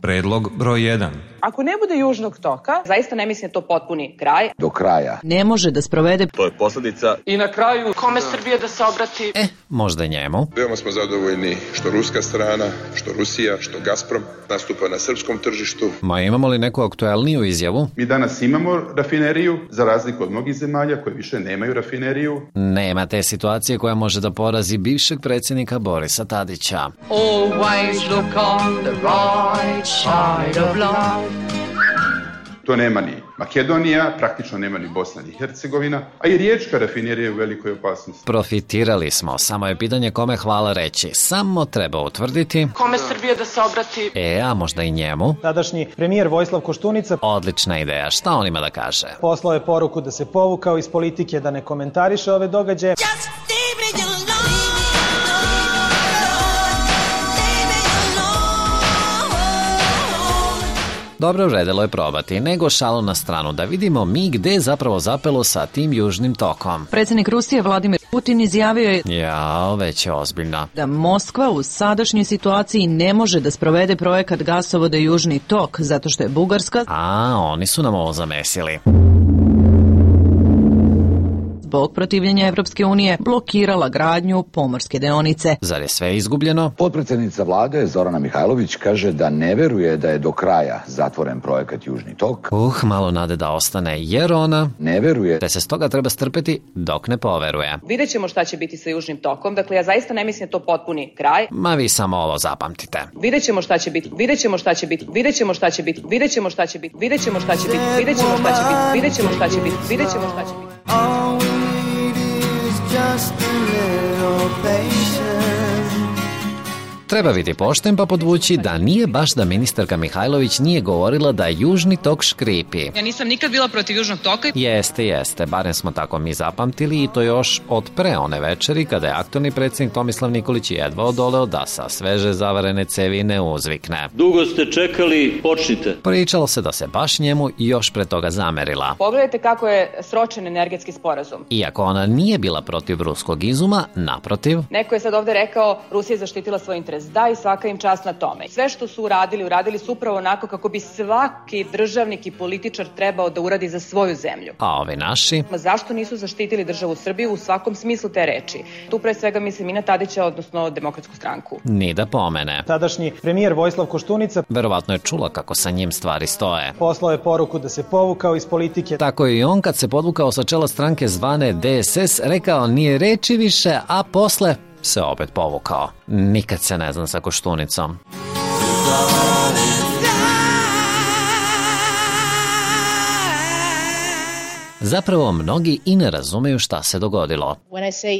Predlog broj 1. Ako ne bude južnog toka, zaista ne mislim da to potpuni kraj. Do kraja. Ne može da sprovede. To je posljedica. I na kraju, kome Srbije da se obrati? Možda njemu. Veoma smo zadovoljni što ruska strana, što Rusija, što Gazprom nastupa na srpskom tržištu. Ma imamo li neku aktuelniju izjavu? Mi danas imamo rafineriju, za razliku od mnogih zemalja koje više nemaju rafineriju. Nema te situacije koja može da porazi bivšeg predsjednika Borisa Tadića. Always look on the right side of life. To nema ni Makedonija, praktično nema ni Bosna ni Hercegovina, a i riječka rafinerija je u velikoj opasnosti. Profitirali smo, samo je pitanje kome hvala reći. Samo treba utvrditi Kome Srbije da se obrati? a možda i njemu. Tadašnji premijer Vojislav Koštunica. Odlična ideja, šta on ima da kaže? Poslao je poruku da se povukao iz politike, da ne komentariše ove događaje. Dobro, vredelo je probati, nego šalu na stranu, da vidimo mi gde je zapravo zapelo sa tim južnim tokom. Predsjednik Rusije Vladimir Putin izjavio je već je ozbiljno. Da Moskva u sadašnjoj situaciji ne može da sprovede projekat gasovoda Južni tok, zato što je Bugarska oni su nam ovo zamesili. Zbog protivljenja Evropske unije blokirala gradnju pomorske deonice. Zar je sve izgubljeno? Potpredsjednica vlade Zorana Mihajlović kaže da ne veruje da je do kraja zatvoren projekat Južni tok. Malo nade da ostane, jer ona ne veruje da se stoga treba strpeti dok ne poveruje. Vidjet ćemo šta će biti sa južnim tokom, dakle ja zaista ne mislim da to potpuni kraj. Ma vi samo ovo zapamtite. Vidjet ćemo šta će biti, vidjet ćemo šta će biti, vidjet ćemo šta će biti, vidjet ćemo šta će biti, vidjet ćemo šta će biti, vidjet ćemo šta će biti, vidjet ćemo šta će biti, vidjet ćemo šta će biti. Just a little patience. Treba biti pošten pa podvući da nije baš da ministarka Mihajlović nije govorila da južni tok škripi. Ja nisam nikad bila protiv južnog toka. Jeste, barem smo tako mi zapamtili i to još od pre one večeri kada je aktualni predsjednik Tomislav Nikolić jedva odoleo da sa sveže zavarene cevi ne uzvikne. Dugo ste čekali, počnite. Pričalo se da se baš njemu još pre toga zamerila. Pogledajte kako je sročen energetski sporazum. Iako ona nije bila protiv ruskog izuma, naprotiv. Neko je sad ovde rekao Rusija je zaštitila svoj interes. Da, i svaka im čast na tome. Sve što su uradili su upravo onako kako bi svaki državnik i političar trebao da uradi za svoju zemlju. A ovi naši? Zašto nisu zaštitili državu Srbiju u svakom smislu te reči? Tu pre svega mislim i na Tadića, odnosno Demokratsku stranku. Ni da pomene. Tadašnji premijer Vojislav Koštunica verovatno je čula kako sa njim stvari stoje. Poslao je poruku da se povukao iz politike. Tako je i on kad se podvukao sa čela stranke zvane DSS rekao nije reči više, a posle se opet povukao. Nikad se ne znam sa Koštunicom. Zapravo, mnogi i ne razumeju šta se dogodilo.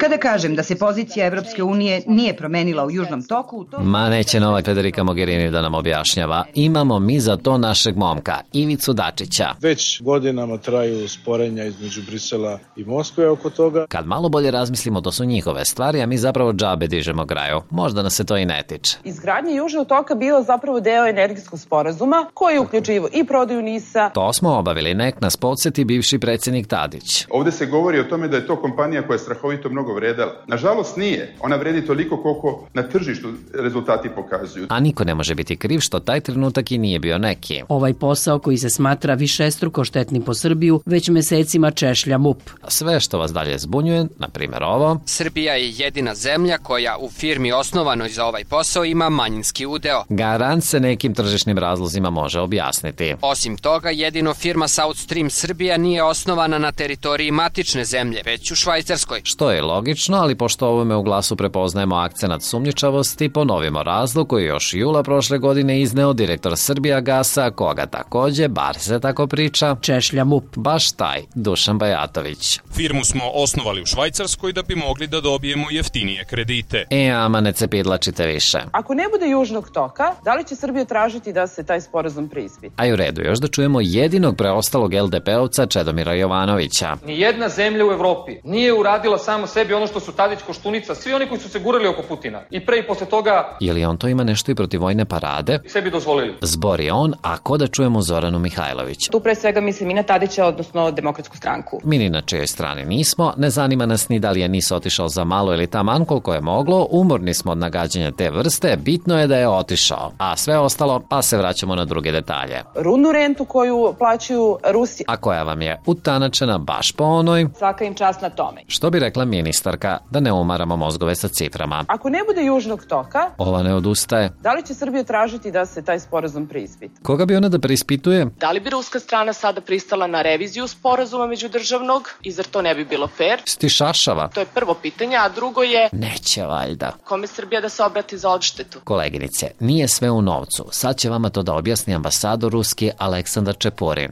Kada kažem da se pozicija Evropske unije nije promenila u južnom toku... Ma neće nova Federica Mogherini da nam objašnjava. Imamo mi za to našeg momka, Ivicu Dačića. Već godinama traju sporenja između Brisela i Moskve oko toga. Kad malo bolje razmislimo, to su njihove stvari, a mi zapravo džabe dižemo graju. Možda nas se to i ne tiče. Izgradnja južnog toka bila zapravo deo energetskog sporazuma, koji je uključivo i prodaju NIS-a. To smo obavili, nek nas podsjeti bivši predsjednik Tadić. Ovdje se govori o tome da je to kompanija koja je strahovito mnogo vredela. Nažalost nije. Ona vredi toliko koliko na tržištu rezultati pokazuju. A niko ne može biti kriv što taj trenutak i nije bio neki. Ovaj posao koji se smatra višestruko štetnim po Srbiju već mesecima češlja MUP. Sve što vas dalje zbunjuje, na primjer ovo. Srbija je jedina zemlja koja u firmi osnovanoj za ovaj posao ima manjinski udeo. Garant se nekim tržišnim razlozima može objasniti. Osim toga, jedino firma South Stream Srbija nije osnovana na teritoriji matične zemlje, već u Švajcarskoj. Što je logično, ali pošto ovome u glasu prepoznajemo akcenat sumnjičavosti, ponovimo razlog koji još jula prošle godine izneo direktor Srbijagasa, koga takođe, bar se tako priča, češlja MUP. Baš taj, Dušan Bajatović. Firmu smo osnovali u Švajcarskoj da bi mogli da dobijemo jeftinije kredite. Ama ne cepidlačite više. Ako ne bude južnog toka, da li će Srbija tražiti da se taj sporazum preispita? A u redu, još da čujemo jedinog preostalog LDP-ovca Čedomira Jovanovića. Jovanovića. Nijedna zemlja u Evropi nije uradila samo sebi ono što su Tadić, Koštunica, svi oni koji su se gurali oko Putina. I pre i posle toga... Je li on to ima nešto i protiv vojne parade? Sebi dozvolili. Zbori on, a ko da čujemo Zoranu Mihajlović? Tu pre svega mislim i na Tadića, odnosno Demokratsku stranku. Mi ni na čijoj strani nismo, ne zanima nas ni da li je NIS otišao za malo ili taman koliko je moglo, umorni smo od nagađanja te vrste, bitno je da je otišao. A sve ostalo, pa se vraćamo na druge detalje. Rudnu rentu koju plaćaju Rusi. A koja vam je utanačena baš po onoj? Svaka im čast na tome. Što bi rekla ministarka, da ne umaramo mozgove sa ciframa. Ako ne bude južnog toka, ova ne odustaje. Da li će Srbija tražiti da se taj sporazum preispita? Koga bi ona da preispituje? Da li bi ruska strana sada pristala na reviziju sporazuma međudržavnog i zar to ne bi bilo fair? Stišašava. To je prvo pitanje, a drugo je... Neće valjda. Kome Srbija da se obrati za odštetu? Koleginice, nije sve u novcu. Sad će vama to da objasni ambasador ruski Aleksandar Čepurin.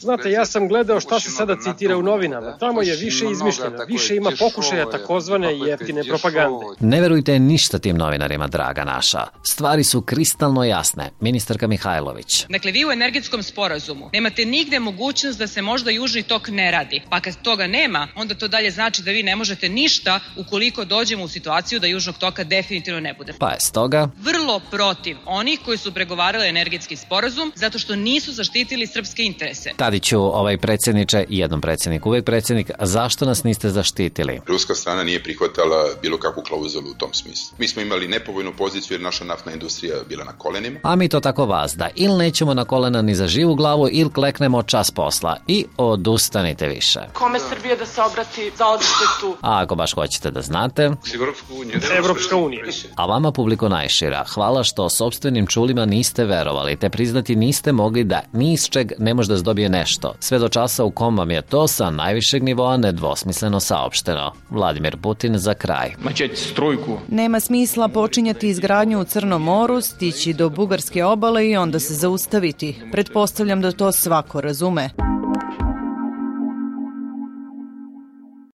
Znate, ja sam gledao šta se sada citira u novinama. Tamo je više izmišljeno, više ima pokušaja takozvane jeftine propagande. Ne verujte ništa tim novinarima, draga naša. Stvari su kristalno jasne. Ministarka Mihajlović. Dakle, vi u energetskom sporazumu nemate nigde mogućnost da se možda južni tok ne radi. Pa kad toga nema, onda to dalje znači da vi ne možete ništa ukoliko dođemo u situaciju da južnog toka definitivno ne bude. Pa je stoga vrlo protiv onih koji su pregovarali energetski sporazum zato što nisu zaštitili srpske interese. Tadiću, predsjedniče, jednom predsjednik, uvek predsjednik, zašto nas niste zaštitili? Ruska strana nije prihvatala bilo kakvu klauzulu u tom smislu. Mi smo imali nepovoljnu poziciju jer naša naftna industrija bila na kolenima. A mi to tako vazda, ili nećemo na kolena ni za živu glavu, ili kleknemo čas posla i odustanite više. Kome Srbija da se obrati za odštetu? A ako baš hoćete da znate... Evropska unija. A vama, publiko najšira, hvala što sopstvenim čulima niste verovali, te priznati niste mogli da ni iz čeg ne može da zdobije nešto. Sve do časa u kom vam je to sa najvišeg nivoa nedvosmisleno saopšteno. Vladimir Putin za kraj. Nema smisla počinjati izgradnju u Crnom moru, stići do bugarske obale i onda se zaustaviti. Pretpostavljam da to svako razume.